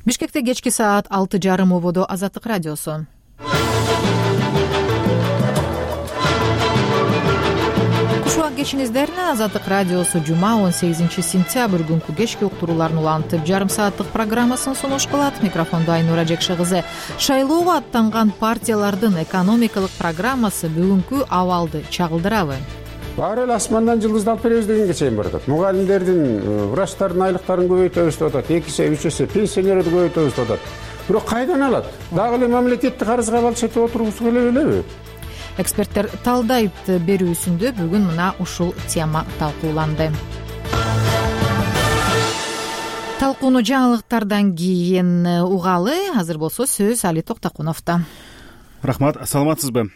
Бишкекте кечки саат 6:30 ободо Азаттык радиосу. Кушуак кечиңиздерин Азаттык радиосу жума 18-сентябрь күнкү кечки уктурууларын улантып жарым сааттык программасын сунуш кылат. Микрофондо Айнура Жекши кызы. Шайлоого аттанган партиялардын экономикалык программасы бүгүнкү абалды чагылдырабы? Баары эле асмандан жылдызды алып беребиз дегенге чейин баратат. Мугалимдердин, врачтардын айлыктарын көбөйтөбүз деп атат. 2 эсе, 3 эсе пенсионерди көбөйтөбүз деп атат. Бирок кайдан алат? Дагы эле мамлекеттик карызга балчытып отургусу келе белеби? Эксперттер талдайт берүүсүндө бүгүн мына ушул тема талкууланды. Талкууну жаңылыктардан кийин угалы. Азыр болсо сөз Али Токтокуновдо. Рахмат, саламатсызбы?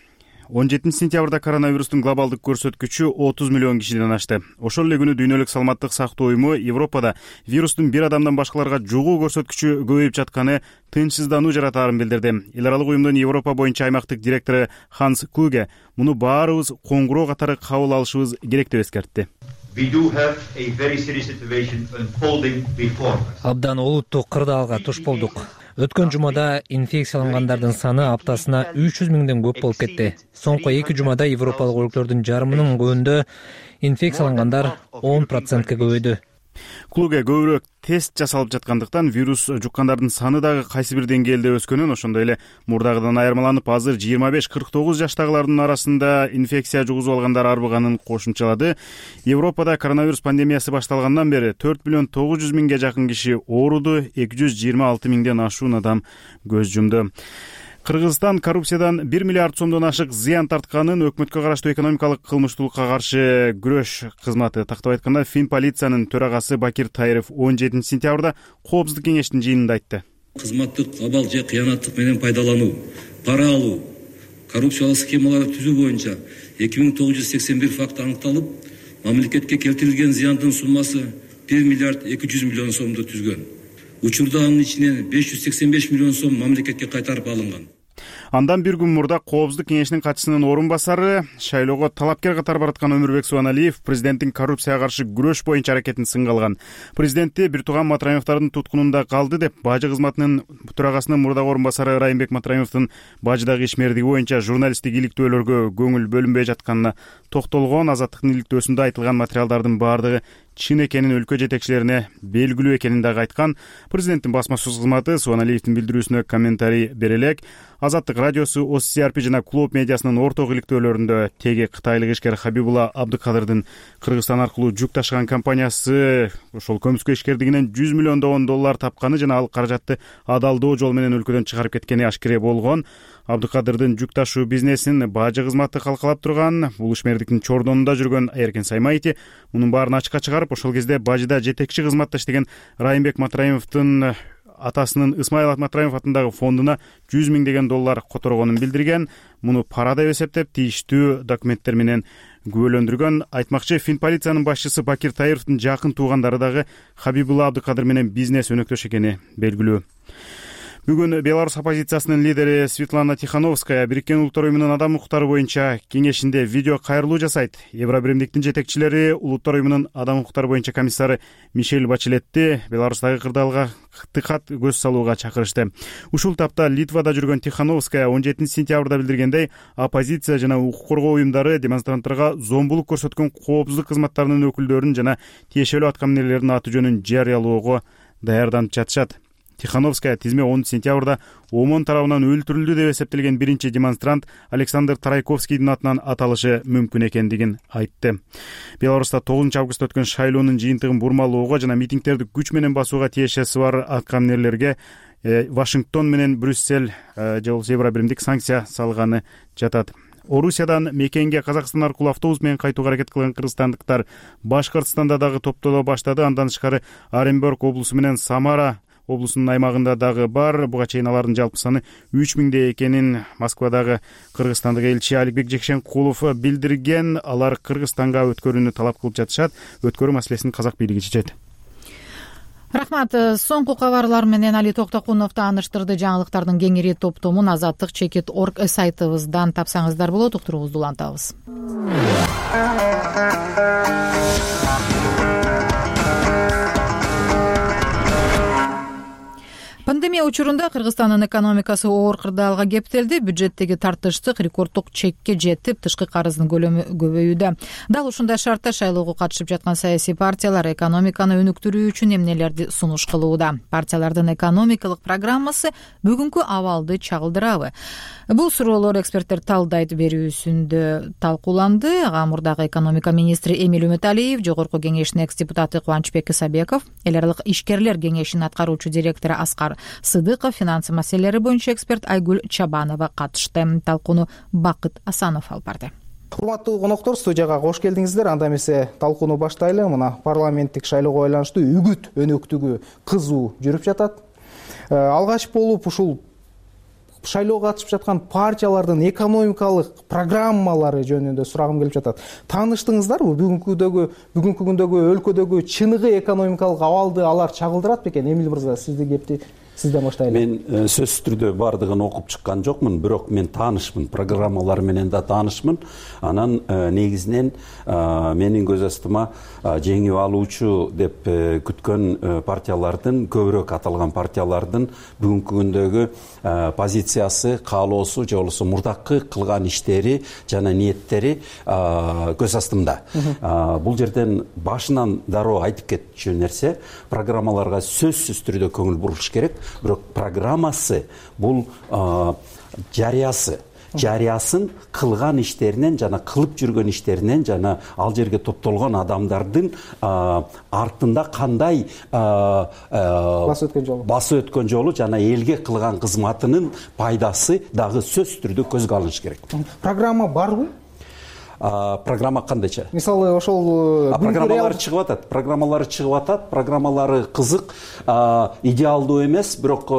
17-сентябрда коронавирустун глобалдык көрсөткүчү 30 миллион кишиден ашты. Ошол эле күнү Дүйнөлүк саламаттык сактоо уюму Европада вирустун бир адамдан башкаларга жугуу көрсөткүчү көбөйүп жатканы тынчсыздануу жаратаарын билдирди. Эл аралык уюмдун Европа боюнча аймактык директору Ханс Клуге муну баарыбыз коңгуроо катары кабыл алышыбыз керек деп эскертти. Абдан олуттуу кырдаалга туш болдук. Өткөн жумада инфекциялангандардын саны аптасына 300 миңден көп болуп кетти. Соңку 2 жумада европалык өлкөлөрдүн жарымынын көбүндө инфекциялангандар 10%ка көбөйдү. Клуге көбүрөөк тест жасалып жаткандыктан вирус жуккандардын саны дагы кайсы бир деңгээлде өскөнүн, ошондой эле мурдагыдан айырмаланып азыр 25-49 жаштагылардын арасында инфекция жугузуп алгандар арбыганын кошумчалады. Европада коронавирус пандемиясы башталгандан бери 4 миллион 900 миңге жакын киши ооруду, 226 миңден ашуун адам көз жумду. Кыргызстан коррупциядан 1 миллиард сомдон ашык зыян тартканын өкмөткө караштуу экономикалык кылмыштуулукка каршы күрөш кызматы тактап айтканда Фин полициянын төрагасы Бакир Тайыров 17-сентябрда Коопсуздук кеңештин жыйынында айтты. Кызматтык абал же кыянаттык менен пайдалануу, пара алуу, коррупциялык схемаларды түзүү боюнча 2981 факт аныкталып, мамлекетке келтирилген зыяндын суммасы 1 миллиард 200 миллион сомду түзгөн. Учурда анын ичинен 585 миллион сом мамлекетке кайтарып алынган. Андан бир күн мурда Коопсуздук кеңешинин катчысынын орун басары, шайлоого талапкер катары бараткан Өмүрбек Субаналиев президенттин коррупцияга каршы күрөш боюнча аракетин сынга алган. Президентти бир тууган Матраимовдордун туткунунда калды деп бажы кызматынын төрагасынын мурдагы орун басары Райымбек Матраимовдун бажыдагы ишмердиги боюнча журналисттик иликтөөлөргө көңүл бөлүнбөй жатканына токтолгон. Азаттыктын иликтөөсүндө айтылган материалдардын баардыгы чын экенин өлкө жетекчилерине белгилүү экенин дагы айткан. Президенттин басма сөз кызматы Субаналиевдин билдирүүсүнө комментарий бере элек. Азаттык радиосу OCRP жана Клуб медиасынын орток иликтөөлөрүндө теги кытайлык ишкер Хабибулла Абдыкадырдын Кыргызстан аркылуу жүк ташыган компаниясы ошол көмүскө ишкердигинен 100 миллион доллар тапканы жана ал каражатты адалдоо жол менен өлкөдөн чыгарып кеткени ашкере болгон. Абдыкадырдын жүк ташуу бизнесин бажы кызматы калкалап турган. Бул ишмердиктин чордонунда жүргөн Эркен Саймайти мунун баарын ачыкка чыгарып, ошол кезде бажыда жетекчи кызматта иштеген Райымбек Матраимовдун атасынын Исмаил Матраимов атындагы фондуна 100 миң деген доллар которгонун билдирген. Муну пара деп эсептеп, тийиштүү документтер менен күбөлөндүргөн. Айтмакчы, Фин полициянын башчысы Бакир Тайыровдун жакын туугандары дагы Хабибулла Абдыкадыр менен бизнес өнөктөш экени белгилүү. Бүгүн Беларусь оппозициясынын лидери Светлана Тихановская Бириккен Улуттар уюмунун адам укуктары боюнча кеңешинде видео кайрылуу жасайт. Евробиримдиктин жетекчилери Улуттар уюмунун адам укуктары боюнча комиссары Мишель Бачелетти Беларустагы кырдаалга тыкат көз салууга чакырышты. Ушул тапта Литвада жүргөн Тихановская 17-сентябрда билдиргендей, оппозиция жана укук коргоо уюмдары демонстранттарга зомбулук көрсөткөн коопсуздук кызматтарынын өкүлдөрүн жана тиешелүү аткаминерлердин аты жөнүн жарыялоого даярданып жатышат. Тихановская тизме 10-сентябрда ОМОН тарабынан өлтүрүлдү деп эсептелген биринчи демонстрант Александр Тарайковскийдин атынан аталышы мүмкүн экендигин айтты. Беларуста 9-августта өткөн шайлоонун жыйынтыгын бурмалоого жана митингдерди күч менен басууга тиешеси бар аткаминерлерге Вашингтон менен Брюссель же болбосо Евробиримдик санкция салганы жатат. Орусиядан мекенге Казакстан аркылуу автобус менен кайтууга аракет кылган кыргызстандыктар Башкортостанда дагы топтоло баштады. Андан тышкары Оренбург облусу менен Самара облусунун аймагында дагы бар. Буга чейин алардын жалпы саны 3000 экенин Москвадагы кыргызстандык элчи Аликбек Жекшенкулов билдирген. Алар Кыргызстанга өткөрүүнү талап кылып жатышат. Өткөрүү маселесин казак бийлиги чечет. Рахмат. Соңку кабарлар менен Али Токтокунов тааныштырды. Жаңылыктардын кеңири топтомун azattik.org сайтыбыздан тапсаңыздар болот. Уктуруубузду улантабыз. Пандемия учурунда Кыргызстандын экономикасы оор кырдаалга кептелди. Бюджеттеги тартыштык рекорддук чекке жетип, тышкы карыздын көлөмү көбөйүүдө. Дал ушундай шартта шайлоого катышып жаткан саясий партиялар экономиканы өнүктүрүү үчүн эмнелерди сунуш кылууда? Партиялардын экономикалык программасы бүгүнкү абалды чагылдырабы? Бул суроолор эксперттер талдайт берүүсүндө талкууланды. Ага мурдагы экономика министри Эмиль Үмүталиев, Жогорку кеңештин экс-депутаты Кубанычбек Исабеков, эл аралык ишкерлер кеңешинин аткаруучу директору Аскар Сыдыков, финансы маселелери боюнча эксперт Айгүл Чабанова катышты. Талкууну Бакыт Асанов алып барды. Урматтуу коноктор, студияга кош келдиңиздер. Анда эмесе талкууну баштайлы. Мына парламенттик шайлоого байланыштуу үгүт өнөктүгү кызуу жүрүп жатат. Алгач болуп ушул шайлоого катышып жаткан партиялардын экономикалык программалары жөнүндө сурагым келип жатат. Тааныштыңыздарбы? Бүгүнкү күндөгү өлкөдөгү чыныгы экономикалык абалды алар чагылдырат бекен? Эмил мырза, кепти сизден баштайлы. Мен сөзсүз түрдө бардыгын окуп чыккан жокмун, бирок мен таанышмын, программалар менен да таанышмын. Анан негизинен менин көз астыма жеңип алуучу деп күткөн партиялардын, көбүрөөк аталган партиялардын бүгүнкү күндөгү позициясы, каалоосу же болбосо мурдакы кылган иштери жана ниеттери көз астымда. Бул жерден башынан дароо айтып кетчү нерсе, программаларга сөзсүз түрдө көңүл буруш керек. Бирок программасы бул жарыясын кылган иштеринен жана кылып жүргөн иштеринен жана ал жерге топтолгон адамдардын артында кандай басып өткөн жолу жана элге кылган кызматынын пайдасы дагы сөзсүз түрдө көзгө алыныш керек. Программа барбы? Программа кандайча? Мисалы ошол программалары чыгып атат, программалары кызык, идеалдуу эмес, бирок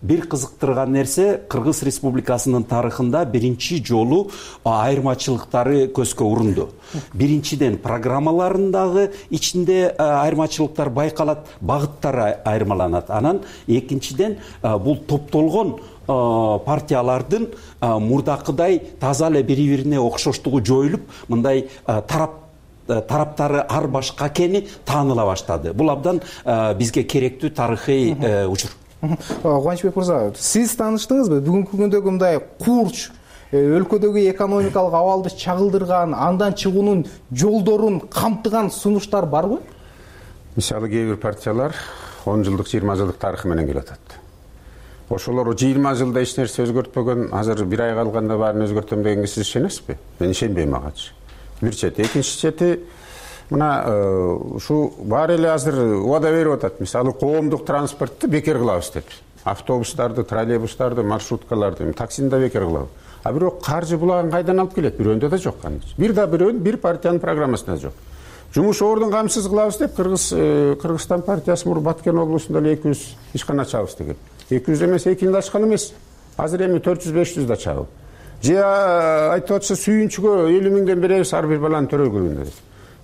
бир кызыктырган нерсе, Кыргыз Республикасынын тарыхында биринчи жолу айырмачылыктары көзгө урунду. Биринчиден программаларындагы ичинде айырмачылыктар байкалат, багыттары айырмаланат. Анан экинчиден бул топтолгон партиялардын мурдакыдай таза эле бири-бирине окшоштугу жоюлуп, мындай тараптары ар башка экени тааныла баштады. Бул абдан бизге керектүү тарыхый учур. Кубанычбек мырза, сиз тааныштыңызбы? Бүгүнкү күндөгү мындай курч өлкөдөгү экономикалык абалды чагылдырган, андан чыгуунун жолдорун камтыган сунуштар барбы? Мисалы кээ бир партиялар 10 жылдык, 20 жылдык тарыхы менен келатат. Ошолор 20 жылда эч нерсе өзгөртпөгөн, азыр бир ай калганда баарын өзгөртөм дегенге сиз ишенесизби? Мен ишенбейм агачы. Бир чети, экинчи чети, мына ушу баары эле азыр убада берип атат. Мисалы коомдук транспортту бекер кылабыз деп. Автобустарды, троллейбустарды, маршруткаларды, таксини да бекер кылабыз. А бирок каржы булагын кайдан алып келет? Бирөөндө да жок кандайчы. Бир партиянын программасында жок. Жумуш ордун камсыз кылабыз деп Кыргызстан партиясы мур Баткен облусунда эле 200 ишкана ачабыз деген. 200 эмес, 200 ачкан эмес. Азыр эми 400-500 да чабып. Же айтып атса сүйүнчүгө 50 миңден беребиз ар бир баланын төрөгүлүнө деп.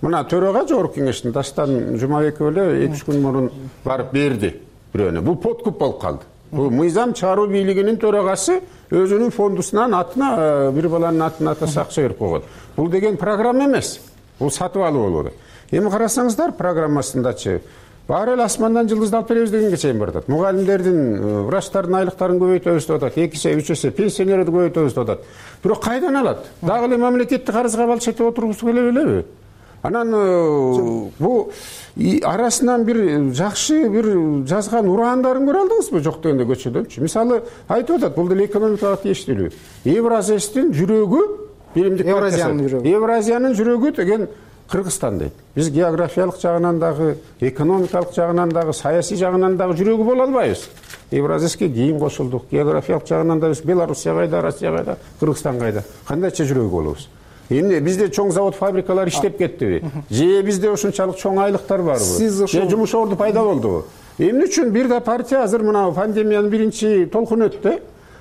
Мына төрага Жогорку кеңештин Дастан Жумабеков эле 2-3 күн мурун барып берди бирөөнө. Бул подкуп болуп калды. Бул мыйзам чыгаруу бийлигинин төрагасы өзүнүн фондусунан атына бир баланын атына атасы акча берип койгон. Бул деген программа эмес. Бул сатып алуу болот. Эми карасаңыздар программасындачы баары эле асмандан жылдызды алып беребиз дегенге чейин баратат. Мугалимдердин, врачтардын айлыктарын көбөйтөбүз деп атат. 2 эсе, 3 эсе пенсионерди көбөйтөбүз деп атат. Бирок кайдан алат? Дагы эле мамлекеттик карызга балчетип отургусу келе белеби? Анан бул арасынан бир жакшы бир жазган ураандарын көрө алдыңызбы? Жок дегенде көчөдөнчү. Мисалы айтып атат, бул деле экономикага тийиштүү. Евразиянын жүрөгү, биримдик Евразиянын жүрөгү деген Кыргызстан дейт. Биз географиялык жагынан дагы, экономикалык жагынан дагы, саясий жагынан дагы жүрөгү боло албайбыз. Евразийский кийин кошулдук. Географиялык жагынан да биз Белоруссия кайда, Россия кайда, Кыргызстан кайда? Кандайча жүрөгү болобуз? Эмне бизде чоң завод, фабрикалар иштеп кеттиби? Же бизде ошончалык чоң айлыктар барбы? Же жумуш орду пайда болдубу? Эмне үчүн бир да партия азыр мына пандемиянын биринчи толкуну өттү?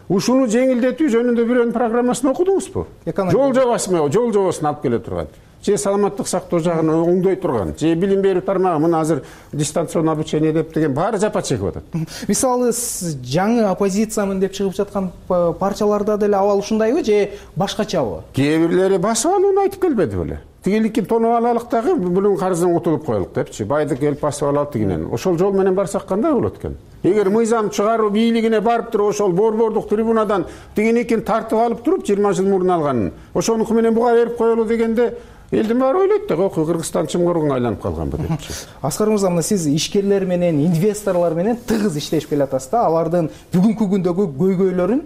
Ушуну жеңилдетүү жөнүндө бирөөнүн программасын окудуңузбу? Жол жобосун алып келе турган. Же саламаттык сактоо жагын оңдой турган, же билим берүү тармагы мына азыр дистанционный обучение деп деген баары жапа чегип атат. Мисалы жаңы оппозициямын деп чыгып жаткан партияларда деле абал ушундайбы же башкачабы? Кээ бирлери басып алууну айтып келбеди беле. тигиликин тонуп алалык дагы бүлүн карыздан утулуп коелук депчи. Байды келип басып алалы тигинен. Ошол жол менен барсак кандай болот экен? Эгер мыйзам чыгаруу бийлигине барып туруп ошол борбордук трибунадан тигиникин тартып алып туруп 20 жыл мурун алганын ошонуку менен буга берип коелу дегенде элдин баары ойлойт да, ой Кыргызстан чымгырууга айланып калганбы депчи. Аскар мырза, мына сиз ишкерлер менен, инвесторлор менен тыгыз иштешип келатасыз да. Алардын бүгүнкү күндөгү көйгөйлөрүн,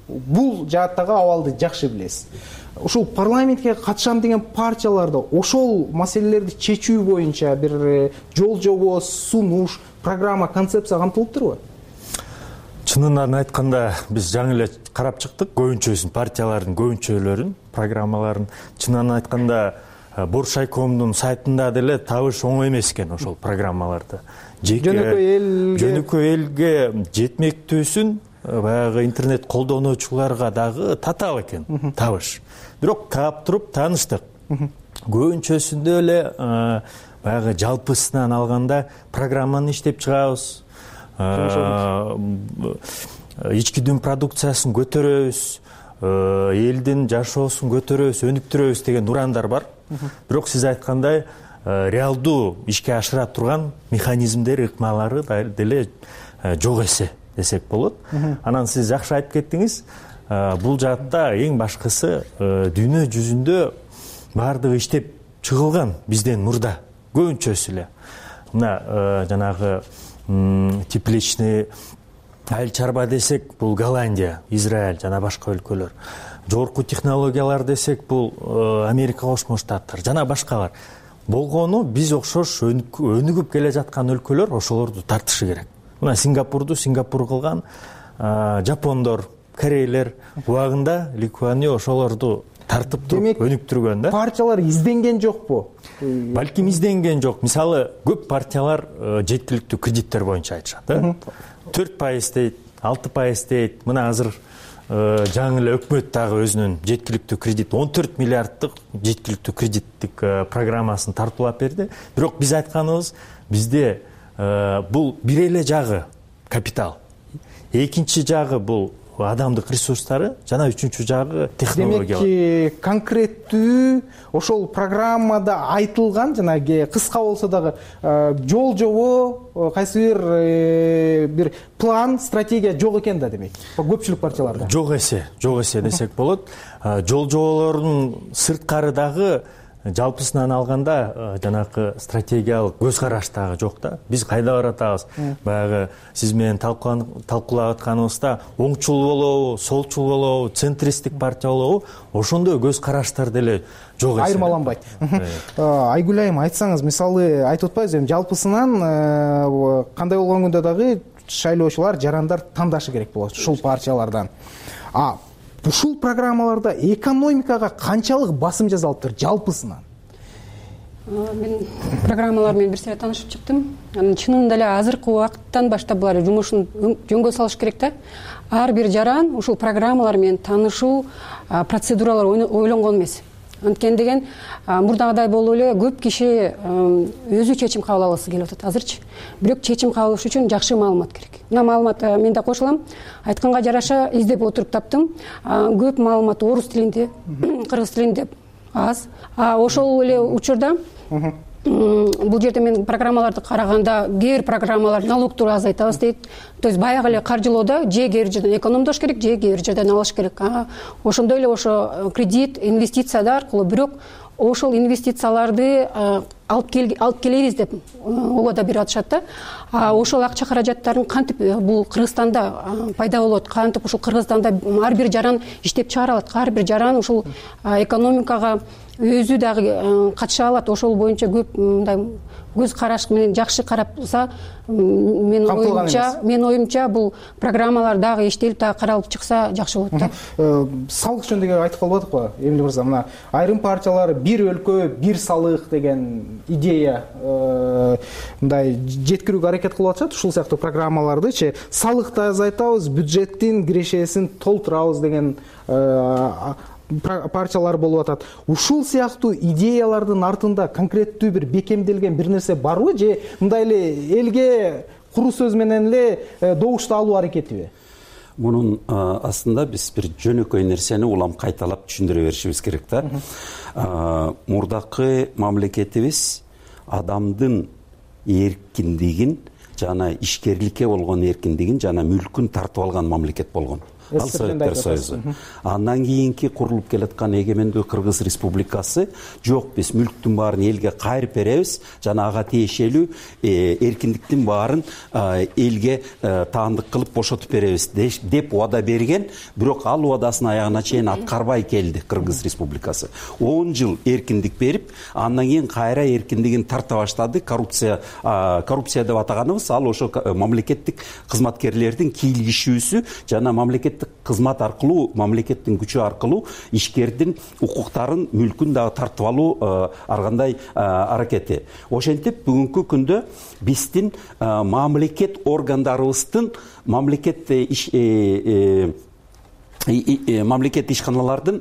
бул жааттагы абалды жакшы билесиз. Ушул парламентке катышам деген партияларда ошол маселелерди чечүү боюнча бир жол жобо, сунуш, программа, концепция камтылып турбу? Чынынан айтканда биз жаңы эле карап чыктык көбүнчөсүн, партиялардын көбүнчөлөрүн, программаларын. Чынынан айтканда Боршайкомдун сайтында деле табыш оңой эмес экен ошол программаларды. Жөнөкөй элге жетмектүүсүн баягы интернет колдонуучуларга дагы татаал экен табыш. Бирок таап туруп тааныштык. Көбүнчөсүндө эле баягы жалпысынан алганда программаны иштеп чыгабыз, ички дүң продукциясын көтөрөбүз, элдин жашоосун көтөрөбүз, өнүктүрөбүз деген урандар бар. Бирок сиз айткандай реалдуу ишке ашыра турган механизмдер, ыкмалары деле жок эсе десек болот. Анан сиз жакшы айтып кеттиңиз. Бул жаатта эң башкысы дүйнө жүзүндө баардыгы иштеп чыгылган бизден мурда көбүнчөсү эле. Мына жанагы тепличный айыл чарба десек, бул Голландия, Израиль жана башка өлкөлөр. Жогорку технологиялар десек, бул Америка Кошмо Штаттар жана башкалар. Болгону биз окшош өнүгүп келе жаткан өлкөлөр ошолорду тартышы керек. Мына Сингапурду Сингапур кылган, жапондор, корейлер убагында Литвания ошолорду тартып туруп өнүктүргөн да. Партиялар изденген жокпу? Балким изденген жок. Мисалы, көп партиялар жеткиликтүү кредиттер боюнча айтышат, да? 4% дейт, 6% дейт. Мына азыр жаңы эле өкмөт дагы өзүнүн жеткиликтүү кредит 14 миллиарддык жеткиликтүү кредиттик программасын тартуулап берди. Бирок биз айтканыбыз, бизде бул бир эле жагы капитал, экинчи жагы бул адамдык ресурстары, жана үчүнчү жагы технологиялар. Демек, конкреттүү ошол программада айтылган, жанагы кыска болсо дагы жол жобо, кайсы бир план, стратегия жок экен да, демек. Көпчүлүк партияларда. Жок эсе десек болот. Жол жоболордун сырткары дагы жалпысынан алганда жанакы стратегиялык көз караш дагы жок да. Биз кайда баратабыз? Баягы сиз менен талкуулап атканыбызда оңчул болобу, солчул болобу, центристтик партия болобу, ошондой көз караштар деле жок эсе. Айырмаланбайт. Айгүл айым, айтсаңыз, мисалы айтып атпайбызбы, жалпысынан кандай болгон күндө дагы шайлоочулар, жарандар тандашы керек болот ушул партиялардан. Ушул программаларда экономикага канчалык басым жасалыптыр жалпысынан? Мен программалар менен бир сыйра таанышып чыктым. Анын чынында эле азыркы убакыттан баштап булар жумушун жөнгө салыш керек да. Ар бир жаран ушул программалар менен таанышуу процедуралар ойлонгон эмес. Анткени деген мурдагыдай болуп эле көп киши өзү чечим кабыл алгысы келип атат азырчы. Бирок чечим кабыл алыш үчүн жакшы маалымат керек. Мына маалымат мен да кошулам. Айтканга жараша издеп отуруп таптым. Көп маалымат орус тилинде, кыргыз тилинде аз. Ошол эле учурда бул жерде мен программаларды караганда кээ бир программалар налогту азайтабыз дейт. То есть баягы эле каржылоодо же кээ бир жерден экономдош керек, же кээ бир жерден алыш керек. Ошондой эле ошо кредит, инвестициялар аркылуу, бирок ошол инвестицияларды алып келебиз деп обада берип атышат да. Ошол акча каражаттарын кантип бул Кыргызстанда пайда болот, кантип ушул Кыргызстанда ар бир жаран иштеп чыгара алат, ар бир жаран ушул экономикага өзү дагы катыша алат. Ошол боюнча көп мындай көз караш менен жакшы карапса, мен оюмча бул программалар дагы иштелип дагы каралып чыкса жакшы болот да. Салык жөнүндө айтып калбадыкпы, Эмиль мырза? Мына айрым партиялар бир өлкө, бир салык деген идея мындай жеткирүүгө аракет кылып атышат. Ушул сыяктуу программалардычы салыкты азайтабыз, бюджеттин кирешесин толтурабыз деген партиялар болуп атат. Ушул сыяктуу идеялардын артында конкреттүү бир бекемделген бир нерсе барбы, же мындай эле элге куру сөз менен эле добушту алуу аракетиби? мунун астында биз бир жөнөкөй нерсени улам кайталап түшүндүрө беришибиз керек да. Мурдакы мамлекетибиз адамдын эркиндигин жана ишкерликке болгон эркиндигин жана мүлкүн тартып алган мамлекет болгон. Ал Советтер Союзу. Андан кийинки курулуп келаткан эгемендүү Кыргыз Республикасы жок, биз мүлктүн баарын элге кайрып беребиз жана ага тиешелүү эркиндиктин баарын элге таандык кылып бошотуп беребиз деп убада берген, бирок ал убадасын аягына чейин аткарбай келди Кыргыз Республикасы. 10 жыл эркиндик берип, андан кийин кайра эркиндигин тарта баштады. Коррупция деп атаганыбыз ал ошо мамлекеттик кызматкерлердин кийлигишүүсү жана мамлекеттик кызмат аркылуу, мамлекеттин күчү аркылуу ишкердин укуктарын, мүлкүн дагы тартып алуу ар кандай аракети. Ошентип бүгүнкү күндө биздин мамлекет органдарыбыздын, мамлекет ишканалардын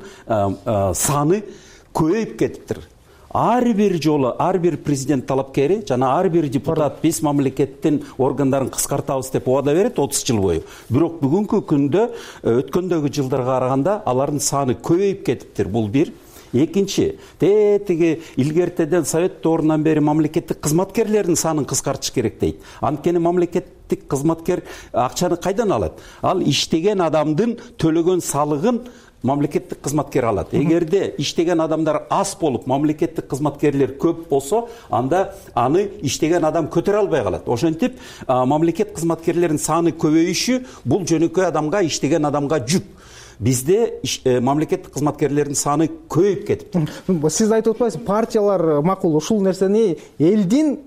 саны көбөйүп кетиптир. Ар бир жолу ар бир президент талапкери жана ар бир депутат биз мамлекеттин органдарын кыскартабыз деп убада берет 30 жыл бою. Бирок бүгүнкү күндө өткөндөгү жылдарга караганда алардын саны көбөйүп кетиптир. Бул бир. Экинчи, тиги илгертеден Совет доорунан бери мамлекеттик кызматкерлердин санын кыскартыш керек дейт. Анткени мамлекеттик кызматкер акчаны кайдан алат? Ал иштеген адамдын төлөгөн салыгын мамлекеттик кызматкер алат. Эгерде иштеген адамдар аз болуп, мамлекеттик кызматкерлер көп болсо, анда аны иштеген адам көтөрө албай калат. Ошентип, мамлекет кызматкерлеринин саны көбөйүшү бул жөнөкөй адамга, иштеген адамга жүк. Бизде мамлекеттик кызматкерлердин саны көбөйүп кетиптир. Сиз айтып атпайсызбы, партиялар макул ушул нерсени элдин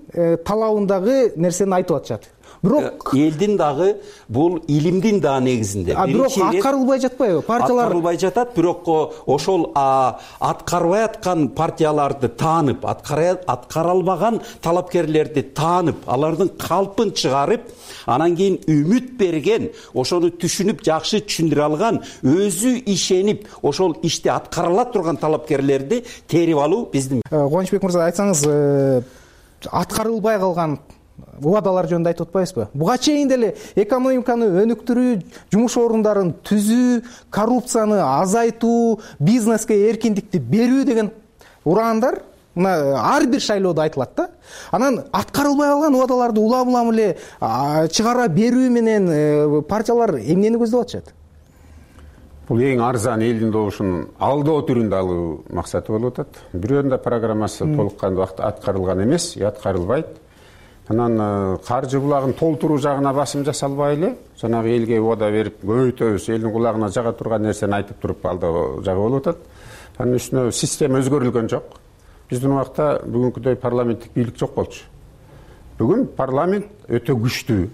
талабындагы нерсени айтып атышат. Бирок элдин дагы бул илимдин да негизинде. Бирок аткарылбай жатпайбы? Партиялар аткарылбай жатат, бирок ошол аткарбай аткан партияларды таанып, аткара албаган талапкерлерди таанып, алардын калпын чыгарып, анан кийин үмүт берген, ошону түшүнүп, жакшы түшүндүрө алган, өзү ишенип, ошол ишти аткарыла турган талапкерлерди терип алуу биздин. Кубанычбек мырза, айтсаңыз, аткарылбай калган убадалар жөнүндө айтып атпайсызбы? Буга чейин деле экономиканы өнүктүрүү, жумуш орундарын түзүү, коррупцияны азайтуу, бизнеске эркиндикти берүү деген ураандар мына ар бир шайлоодо айтылат да. Анан аткарылбай калган убадаларды улам эле чыгара берүү менен партиялар эмнени көздөп атышат? Бул эң арзан элдин добушун алдоо түрүндө алуу максаты болуп атат. Бирөөнүн да программасы толук кандуу аткарылган эмес, аткарылбайт. Анан каржы булагын толтуруу жагына басым жасалбай эле, жанагы элге убада берип, көбөйтөбүз, элдин кулагына жага турган нерсени айтып туруп алдоо жагы болуп атат. Анын үстүнө система өзгөрүлгөн жок. Биздин убакта бүгүнкүдөй парламенттик бийлик жок болчу. Бүгүн парламент өтө күчтүү.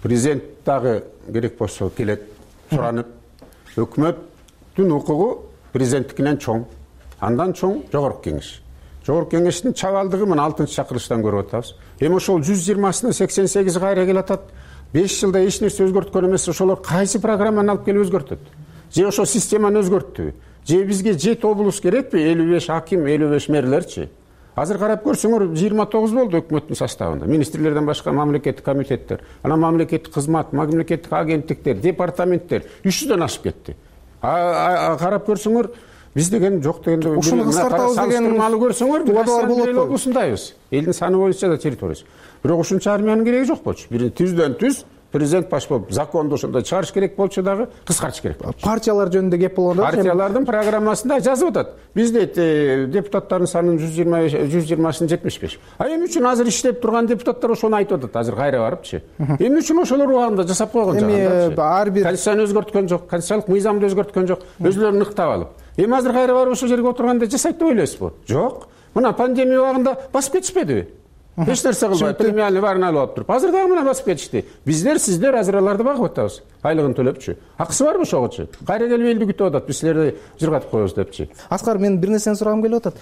Президент дагы керек болсо келет, суранып, өкмөттүн укугу президенттикинен чоң. Андан чоң жогорку кеңеш. Жогорку кеңештин чабалдыгы мына 6-чакырылыштан көрүп атабыз. Эми ошол 120-сына 88 кайра келатат. 5 жылда эч нерсе өзгөрткөн эмес. Ошолор кайсы программаны алып келип өзгөртөт? Же ошол системаны өзгөрттүбү? Же бизге 7 облус керекпи? 55 аким, 55 мэрлерчи? Азыр карап көрсөңөр 29 болду өкмөттүн составында. Министрлерден башка мамлекеттик комитеттер, анан мамлекеттик кызмат, мамлекеттик агенттиктер, департаменттер 300дөн ашып кетти. Карап көрсөңөр биз деген жок дегенде ушуну кыскартабыз деген салыштырмалуу көрсөңөр убадалар болот го. Ушундайбыз. Элдин саны боюнча да территориясы. Бирок ушунча армиянын кереги жок болчу. Бир түздөн түз президент баш болуп, законду ошондой чыгарыш керек болчу дагы, кыскартыш керек болчу. Партиялар жөнүндө кеп болгондо партиялардын программасында жазып атат. Бизде депутаттардын санын 120-сын 75. Эмне үчүн азыр иштеп турган депутаттар ошону айтып атат, азыр кайра барыпчы. Эмне үчүн ошолор убагында жасап койгон жагында? Ар бир конституцияны өзгөрткөн жок, конституциялык мыйзамды өзгөрткөн жок, өзүлөрүн ыктап алып. Эми азыр кайра барып ошол жерге отурганда жасайт деп ойлойсузбу? Жок. Мына пандемия убагында басып кетишпедиби? Эч нерсе кылбай, премиальный баарын алып алып туруп. Азыр дагы мына басып кетишти. Биздер, сиздер азыр аларды багып атабыз. Айлыгын төлөпчү. Акысы барбы ошогочу? Кайра келип элди күтүп атат, биз силерди жыргатып коебуз депчи. Аскар, мен бир нерсени сурагым келип атат.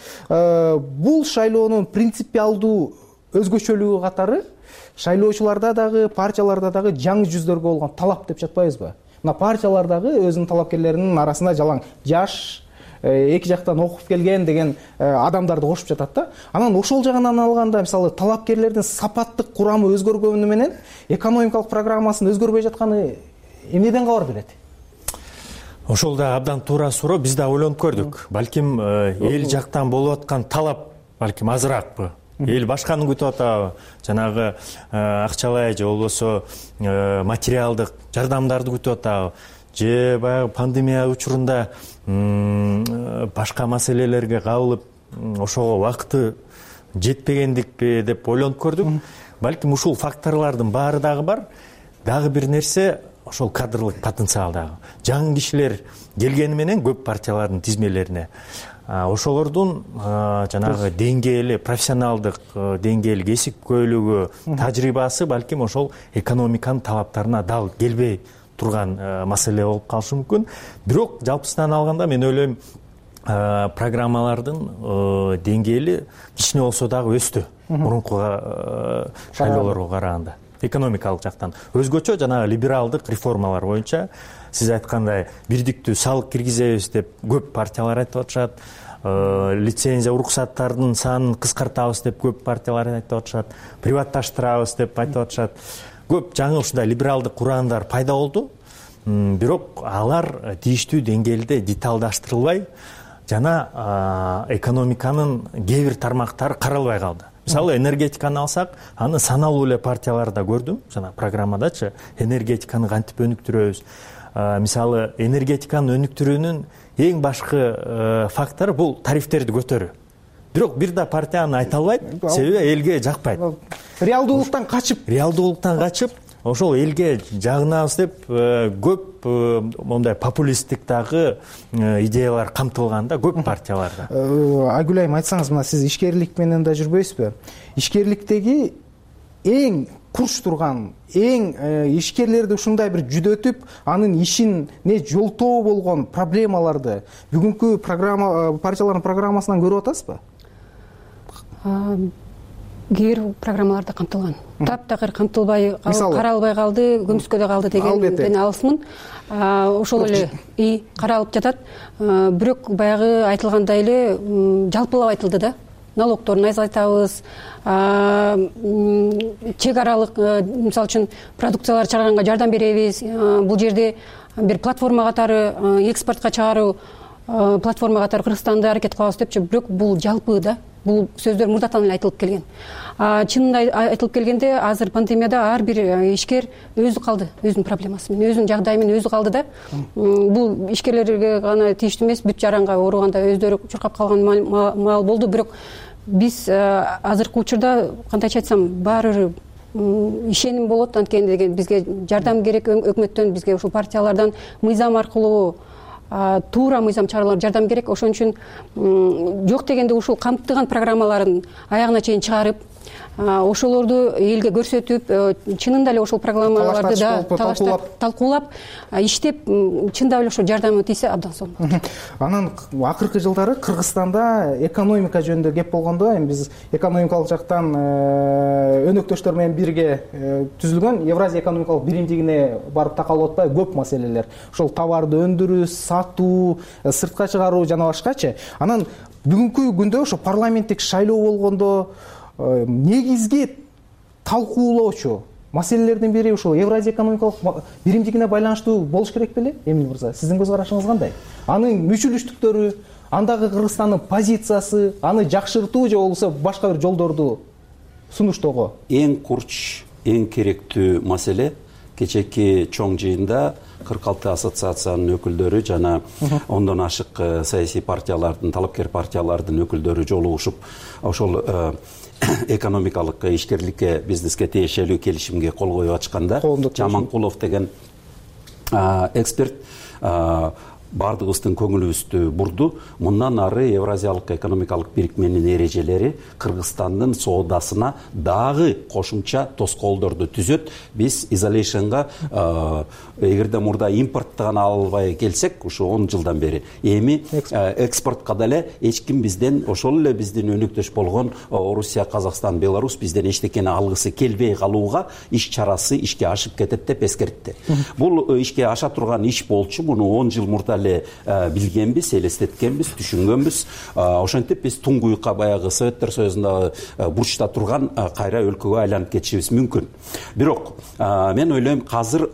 Бул шайлоонун принципиалдуу өзгөчөлүгү катары шайлоочуларда дагы, партияларда дагы жаңы жүздөргө болгон талап деп жатпайбызбы? Мына партиялар дагы өзүнүн талапкерлеринин арасында жалаң жаш, эки жактан окуп келген деген адамдарды кошуп жатат да. Анан ошол жагынан алганда, мисалы, талапкерлердин сапаттык курамы өзгөргөнү менен экономикалык программасын өзгөрбөй жатканы эмнеден кабар берет? Ошол да абдан туура суроо. Биз да ойлонуп көрдүк. Балким эл жактан болуп аткан талап балким азыраакпы? Эл башканы күтүп атабы? Жанагы акчалай же болбосо материалдык жардамдарды күтүп атабы? Же баягы пандемия учурунда башка маселелерге кабылып ошого убакыты жетпегендикпи деп ойлонуп көрдүк. Балким ушул факторлордун баары дагы бар. Дагы бир нерсе ошол кадрлык потенциал дагы. Жаңы кишилер келгени менен көп партиялардын тизмелерине ошолордун жанагы деңгээли, профессионалдык деңгээли, кесипкөйлүгү, тажрыйбасы балким ошол экономиканын талаптарына дал келбей турган маселе болуп калышы мүмкүн. Бирок жалпысынан алганда мен ойлойм программалардын деңгээли кичине болсо дагы өстү мурунку шайлоолорго караганда. Экономикалык жактан өзгөчө жанагы либералдык реформалар боюнча сиз айткандай бирдиктүү салык киргизебиз деп көп партиялар айтып атышат. Лицензия уруксаттардын санын кыскартабыз деп көп партиялар айтып атышат. Приватташтырабыз деп айтып атышат. Көп жаңы ушундай либералдык ураандар пайда болду. Бирок алар тийиштүү деңгээлде деталдаштырылбай жана экономиканын кээ бир тармактары каралбай калды. Мисалы энергетиканы алсак, аны саналуу эле партияларда көрдүм. Жана программадачы энергетиканы кантип өнүктүрөбүз. Мисалы энергетиканы өнүктүрүүнүн эң башкы фактору бул тарифтерди көтөрүү. Бирок бир да партия аны айта албайт, себеби элге жакпайт. Реалдуулуктан качып, ошол элге жагынабыз деп көп мондай популисттик дагы идеялар камтылганда көп партияларда. Айгүл айым, айтсаңыз, мына сиз ишкерлик менен да жүрбөйсүзбү? Ишкерликтеги эң курч турган, эң ишкерлерди ушундай бир жүдөтүп, анын ишине жолтоо болгон проблемаларды бүгүнкү партиялардын программасынан көрүп атасызбы? Кээ бир программаларда камтылган. Таптакыр камтылбай, каралбай калды, көмүскөдө калды дегенден алысмын. Ошол эле каралып жатат. Бирок баягы айтылгандай эле жалпылап айтылды да. Налогторун азайтабыз, чек аралык, мисалы үчүн продукциялар чыгарганга жардам беребиз. Бул жерде бир платформа катары экспортко чыгаруу платформа катары Кыргызстанды аракет кылабыз депчи. Бирок бул жалпы да. Бул сөздөр мурдатан эле айтылып келген. Чынында айтылып келгенде азыр пандемияда ар бир ишкер өзү калды, өзүнүн проблемасы менен, өзүнүн жагдайы менен өзү калды да. Бул ишкерлерге гана тийиштүү эмес, бүт жаранга ооруганда өздөрү чуркап калган маал болду. Бирок биз азыркы учурда кантайча айтсам, баары бир ишеним болот, анткени деген бизге жардам керек өкмөттөн, бизге ушул партиялардан мыйзам аркылуу туура мыйзам чаралар жардам керек. Ошон үчүн жок дегенде ушул камтыган программаларын аягына чейин чыгарып, ошолорду элге көрсөтүп, чынында эле ошол программаларды да талкуулап, иштеп, чындап эле ошо жардамы тийсе абдан сонун. Анан акыркы жылдары Кыргызстанда экономика жөнүндө кеп болгондо, эми биз экономикалык жактан өнөктөштөр менен бирге түзүлгөн Евразия экономикалык биримдигине барып такалып атпайбы көп маселелер. Ошол товарды өндүрүү, сатуу, сыртка чыгаруу жана башкачы. Анан бүгүнкү күндө ошо парламенттик шайлоо болгондо негизги талкуулоочу маселелердин бири ушул Евразия экономикалык биримдигине байланыштуу болуш керек беле? Эмин мырза, сиздин көз карашыңыз кандай? Анын мүчүлүштүктөрү, андагы Кыргызстандын позициясы, аны жакшыртуу же болбосо башка бир жолдорду сунуштоого? Эң курч, эң керектүү маселе кечээки чоң жыйында 46 ассоциациянын өкүлдөрү жана 10дон ашык саясий партиялардын, талапкер партиялардын өкүлдөрү жолугушуп ошол экономикалык ишкерликке, бизнеске тиешелүү келишимге кол коюп ачканда, Жаманкулов деген эксперт бардыгыбыздын көңүлүбүздү бурду. Мындан ары Евразиялык экономикалык бирикменин эрежелери Кыргызстандын соодасына дагы кошумча тоскоолдорду түзөт. Биз изоляtionга эгерде мурда импортто гана албай келсек, ушу 10 жылдан бери эми экспортко деле эч ким бизден, ошол эле биздин өнөктөш болгон Орусия, Казакстан, Беларусь бизден эчтекени алгысы келбей калууга иш чарасы ишке ашып кетет деп эскертти. Бул ишке аша турган иш болчу. Муну 10 жыл мурда эле билгенбиз, элестеткенбиз, түшүнгөнбүз. Ошентип биз туңгуюкка баягы Советтер Союзундагы бурчта турган кайра өлкөгө айланып кетишибиз мүмкүн. Бирок мен ойлойм, азыр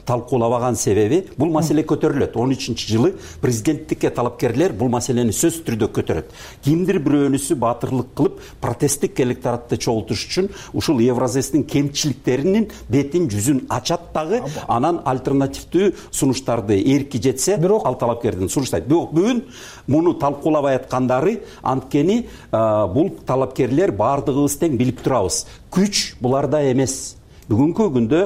талкуулабаган себеби бул маселе көтөрүлөт. 13-жылы президенттикке талапкерлер бул маселени сөзсүз түрдө көтөрөт. Кимдир бирөөнүсү баатырлык кылып протесттик электоратты чогултуш үчүн ушул Евразэстин кемчиликтеринин бетин жүзүн ачат дагы, анан альтернативдүү сунуштарды эрки жетсе ал талапкердин сунуштайт. Бирок бүгүн муну талкуулабай аткандары анткени бул талапкерлер баардыгыбыз тең билип турабыз. Күч буларда эмес. Бүгүнкү күндө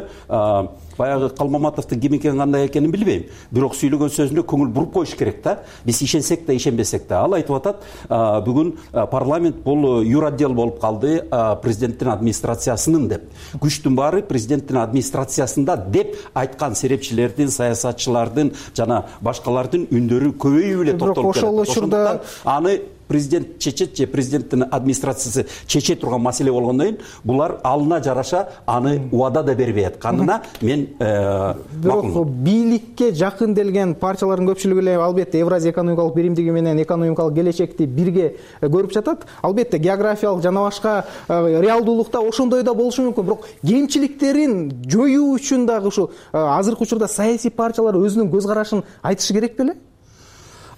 баягы Калмаматовдун ким экени, кандай экенин билбейм. Бирок сүйлөгөн сөзүнө көңүл буруп коюш керек да. Биз ишенсек да, ишенбесек да. Ал айтып атат, бүгүн парламент бул юротдел болуп калды президенттин администрациясынын деп. Күчтүн баары президенттин администрациясында деп айткан серепчилердин, саясатчылардын жана башкалардын үндөрү көбөйүп эле токтолуп келет. Ошондуктан аны президент чечет же президенттин администрациясы чече турган маселе болгондон кийин булар алына жараша аны убада да бербей атканына мен бирок бийликке жакын делген партиялардын көпчүлүгү эле албетте Евразия экономикалык биримдиги менен экономикалык келечекти бирге көрүп жатат. Албетте географиялык жана башка реалдуулукта ошондой да болушу мүмкүн. Бирок кемчиликтерин жоюу үчүн дагы ушул азыркы учурда саясий партиялар өзүнүн көз карашын айтышы керек беле?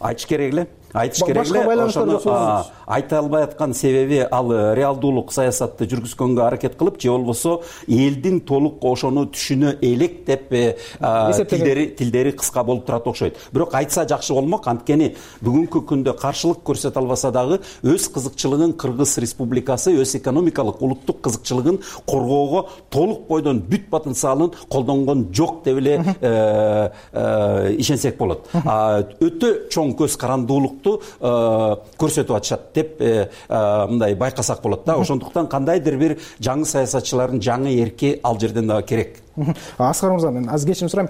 Айтыш керек эле. Ошону айта албай аткан себеби ал реалдуулук саясатты жүргүзгөнгө аракет кылып, же болбосо элдин толук ошону түшүнө элек деп тилдери кыска болуп турат окшойт. Бирок айтса жакшы болмок, анткени бүгүнкү күндө каршылык көрсөтө албаса дагы өз кызыкчылыгын Кыргыз Республикасы өз экономикалык улуттук кызыкчылыгын коргоого толук бойдон бүт потенциалын колдонгон жок деп эле ишенсек болот. Өтө чоң көз карандуулук көрсөтүп атышат деп мындай байкасак болот да. Ошондуктан кандайдыр бир жаңы саясатчылардын жаңы эрки ал жерден дагы керек. Аскар мырза, мен аз кечирим сурайм.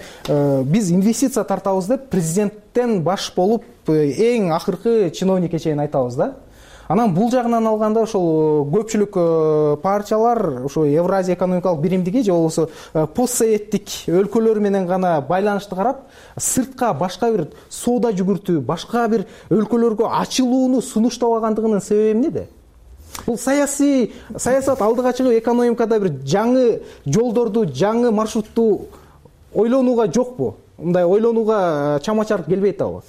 Биз инвестиция тартабыз деп президенттен баш болуп эң акыркы чиновникке чейин айтабыз да. Анан бул жагынан алганда ошол көпчүлүк партиялар ошо Евразия экономикалык биримдиги же болбосо постсоветтик өлкөлөр менен гана байланышты карап, сыртка башка бир соода жүгүртүү, башка бир өлкөлөргө ачылууну сунуштабагандыгынын себеби эмнеде? Бул саясат алдыга чыгып экономикада бир жаңы жолдорду, жаңы маршрутту ойлонууга жокпу? Мындай ойлонууга чама-чарк келбей атабы?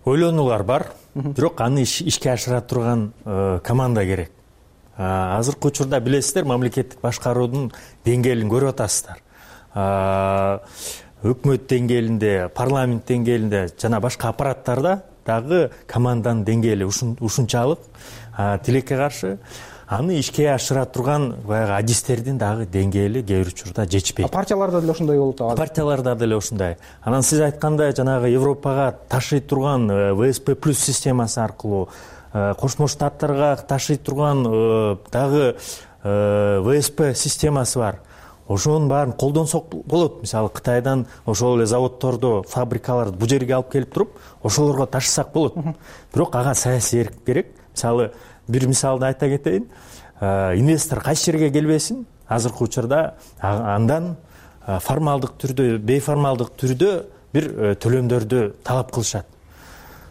Ойлонуулар бар, бирок аны ишке ашыра турган команда керек. Азыркы учурда билесиздер, мамлекеттик башкаруунун деңгээлин көрүп атасыздар. Өкмөт деңгээлинде, парламент деңгээлинде жана башка аппараттарда дагы команданын деңгээли ушунчалык тилекке каршы. Аны ишке ашыра турган баягы адистердин дагы деңгээли кээ бир учурда жетишпейт. Партияларда деле ошондой болуп атат. Партияларда деле ошондой. Анан сиз айткандай жанагы Европага ташый турган ВСП+ системасы аркылуу, Кошмо Штаттарга ташый турган дагы ВСП системасы бар. Ошонун баарын колдонсок болот. Мисалы Кытайдан ошол эле заводдорду, фабрикаларды бул жерге алып келип туруп, ошолорго ташысак болот. Бирок ага саясий эрк керек. Мисалы бир мисалды айта кетейин. Инвестор кайсы жерге келбесин, азыркы учурда андан формалдык түрдө, бейформалдык түрдө бир төлөмдөрдү талап кылышат.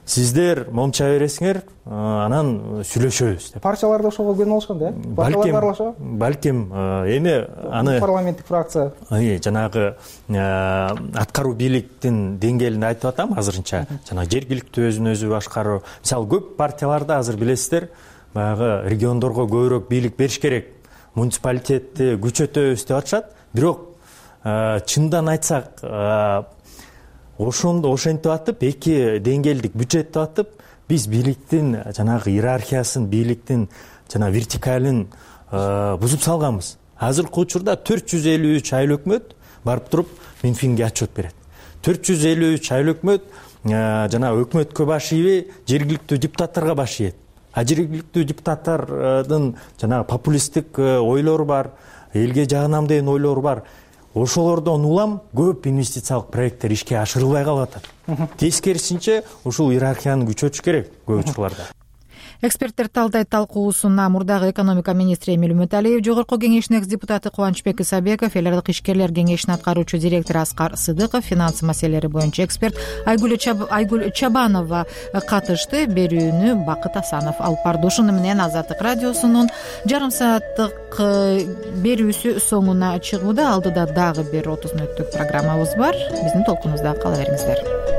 Сиздер момча бересиңер, анан сүйлөшөбүз деп. Партиялар да ошого көнүп алышкан да, э? Балким эми аны парламенттик фракция жанагы аткаруу бийликтин деңгээлинде айтып атам азырынча. Жанагы жергиликтүү өзүн өзү башкаруу. Мисалы көп партияларда азыр билесиздер, баягы региондорго көбүрөөк бийлик бериш керек. Муниципалитетти күчөтөбүз деп атышат. Бирок чындан айтсак, ошентип атып, эки деңгээлдик бюджеттеп атып, биз бийликтин жанагы иерархиясын, бийликтин жана вертикалын бузуп салганбыз. Азыркы учурда 453 айыл өкмөт барып туруп Минфинге отчет берет. 453 айыл өкмөт жана өкмөткө баш ийбей, жергиликтүү депутаттарга баш ийет. Жергиликтүү депутаттардын жанагы популисттик ойлору бар, элге жагынам деген ойлору бар. Ошолордон улам көп инвестициялык проекттер ишке ашырылбай калып атат. Тескерисинче ушул иерархияны күчөтүш керек көп учурларда. эксперттер талдайт талкуусуна мурдагы экономика министри Эмиль Үмүталиев, Жогорку кеңештин экс депутаты Кубанычбек Исабеков, эл аралык ишкерлер кеңешинин аткаруучу директору Аскар Сыдыков, финансы маселелери боюнча эксперт Айгүл Чабанова катышты. Берүүнү Бакыт Асанов алып барды. Ушуну менен Азаттык радиосунун жарым сааттык берүүсү соңуна чыгууда. Алдыда дагы бир 30 мүнөттүк программабыз бар. Биздин толкунубузда кала бериңиздер.